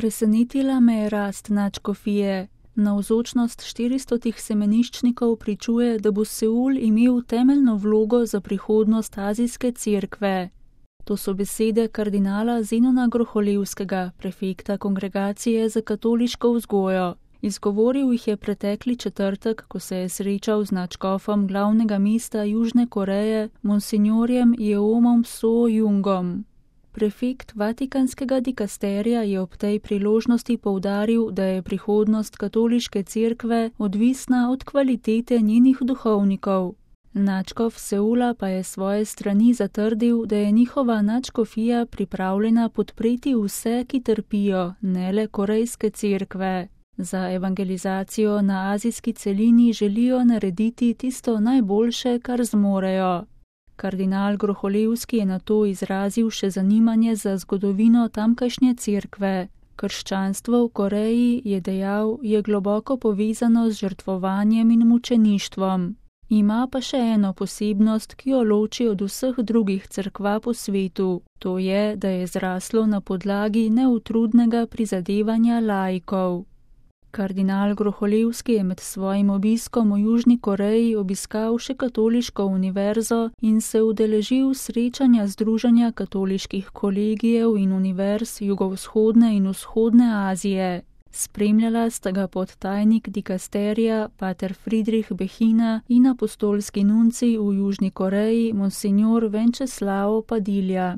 Presenetila me je rast nadškofije. Navzočnost 400 semeniščnikov pričuje, da bo Seul imel temeljno vlogo za prihodnost azijske cerkve. To so besede kardinala Zenona Groholevskega, prefekta Kongregacije za katoliško vzgojo. Izgovoril jih je pretekli četrtek, ko se je srečal z nadškofom glavnega mesta Južne Koreje, monsinjorjem Jeomom So-jungom. Prefekt vatikanskega dikasterija je ob tej priložnosti poudaril, da je prihodnost katoliške cerkve odvisna od kvalitete njenih duhovnikov. Nadškof Seula pa je svoje strani zatrdil, da je njihova nadškofija pripravljena podpreti vse, ki trpijo, ne le korejske cerkve. Za evangelizacijo na azijski celini želijo narediti tisto najboljše, kar zmorejo. Kardinal Groholevski je nato izrazil še zanimanje za zgodovino tamkajšnje cerkve. Krščanstvo v Koreji, je dejal, je globoko povezano z žrtvovanjem in mučeništvom. Ima pa še eno posebnost, ki jo loči od vseh drugih cerkva po svetu. To je, da je zraslo na podlagi neutrudnega prizadevanja laikov. Kardinal Groholevski je med svojim obiskom v Južni Koreji obiskal še katoliško univerzo in se udeležil srečanja Združenja katoliških kolegijev in univerz jugovzhodne in vzhodne Azije. Spremljala sta ga podtajnik dikasterija pater Friedrich Behina in apostolski nuncij v Južni Koreji, monsinjor Venceslao Padilja.